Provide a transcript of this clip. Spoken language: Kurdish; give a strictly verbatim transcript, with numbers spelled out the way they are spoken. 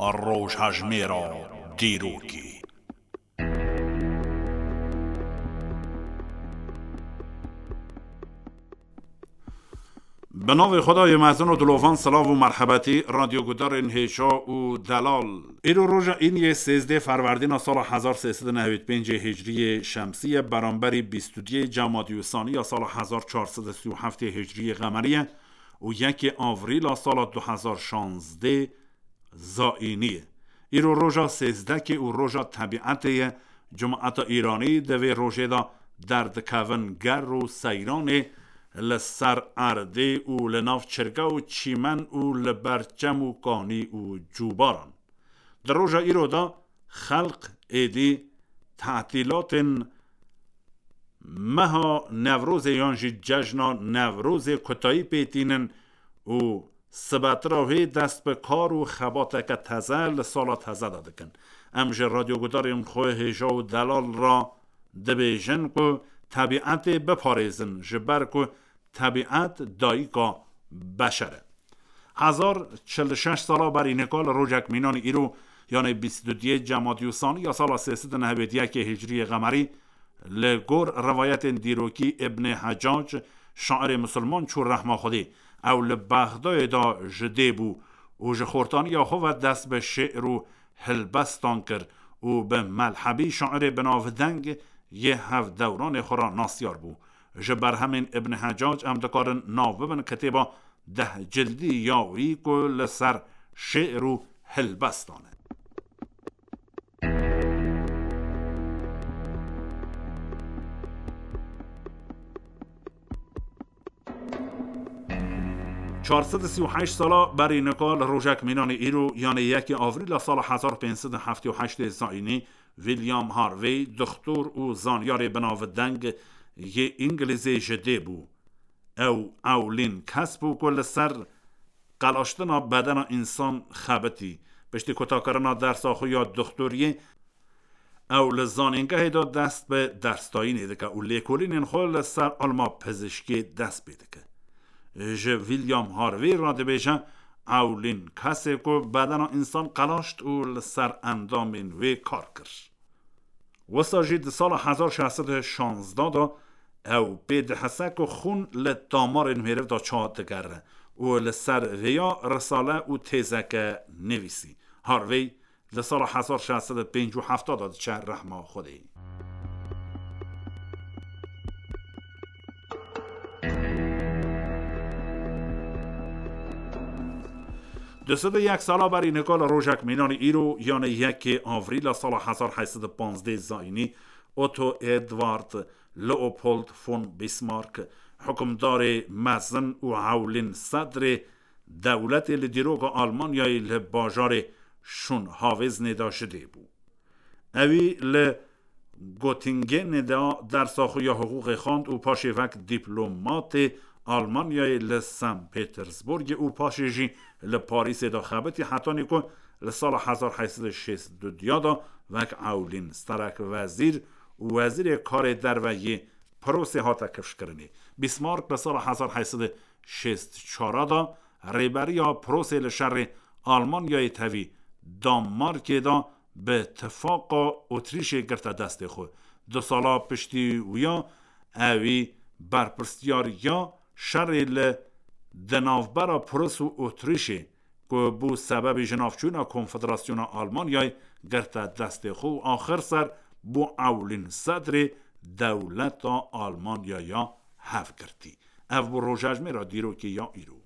Rojhejmêra dîrokê. Bi navê Xwedayê mezin û dilovan, silav û merhebetî, radyogudarên hêja û delal. Îro roja îniyê sêzdeh Ferwerdîna sala hezar sê sed û nehwêd pêncê Hicriyê Şemsî ye, beramberî bîst û duyê Cemadî Usaniya sala hezar çar sed û sî û heftê Hicriyê Qemerî ye û yekê Avrîla sala du hezar şazdeh Zaînî ye. Îro roja sêzdekê û roja tebîetê ye. Cemaeta Îranî di vê rojê de derdikevin ger û seyranê li ser erdê û li nav çirge û çîmen û li ber çem û kanî û cûbaran. Di roja îro de xelq êdî tetîlatên meha Newrozê yan jî cejna Newrozê kutayî pê tînin û sibetira wê dest bi kar û xebateke teze li sala teze de dikin. Em ji radyogudarên xwe hêja û delal re dibêjin ku tebîetê biparêzin, ji ber ku tebîet dayika beşer e. Hezar çil û şeş sala berî nika li rojek mînanî îro, yanê bîst û duyê Cemadî Usaniya sala sê sed û nehwêd yekê Hicriyê Qemerî, li gor rivayetên dîrokî Îbnê Hecac, şairê misilman çû rehma Xwedê. Ew li Bexdayê de ji dê bû û ji xortaniya xwe ve dest bi şê'r û hilbestan kir û bi Melhebî, şairê binavdeng yê hevdewranê xwe re nasyar bû. Ji berhemên Îbn Hecac em dikarin nav bibin kitêba deh cildî ya wî ku li ser şê'r û hilbestan e. Çar sed û sî û heşt sala berî nika li rojek mînanê îro, yanê yekê Avrîla sala hezar pênc sed û heftê û heştê Zayînî, William Harvey, dixtor û zanyarê binavdeng yê Îngilîzê ji dê bû. Ew ewlîn kes bû ku li ser qelaştina bedena însan xebitî. Piştî kutakirina dersa xwe ya dixtoriyê, ew li zanîngehê de dest bi dersdayînê dike û lêkolînên xwe li ser ilma pizişkê dest pê dike. Ji William Harvey re dibêje, ewlîn kesê ku bedena însan qelaşt û li ser endamên wê kar kir. Wisa jî di sala hezar şeş sed û şazdeh de ew pê dihese ku xûn li damarên mêriv de çawa digere û li ser vêya risale û têzeke nivîsî. Harvey di sala hezar şeş sed û pêncî û heft de diçe rehma Xwedê. Du sed û yek sala berî nika li rojek mînanî îro, yanê yekê Avrîla sala hezar heyt sed û panzdeh Zayînî, Otto Edward Leopold von Bismarck, hukimdarê mezin û ewlîn sedrê dewletê li dîroka Almanyayê li bajarê Şûnhavêznê de ji dê bû. Ewî li Göttingenê de dersa xwe ya hiqûqê xwend û paşê wek dîplomatê Almanyayê li Sen Petersburgê û paşê jî li Parîsê de xebitî, hetanî ku li sala hezar heyt sed û şêst û du de wek ewlîn serek wezîr û wezîrê karê derve yê Prusê hate kifşkirinê. Bismarck li sala hezar heyt sed û şêst û çar de rêberiya Prusê li şerê Almanyayê tevî Danmarkê de bi tifaqa Otrîşê girte destê xwe. Du sala piştî wiya ewî berpirsiyariya şerê li di navbera Prus û Otrîşê ku bû sebebê jinavçûna Konfederasyona Almanyayê girte destê xwe û axir ser bû ewlîn sedrê dewleta Almanyaya hevgirtî. Ev bû rojejmêra dîrokê ya îro.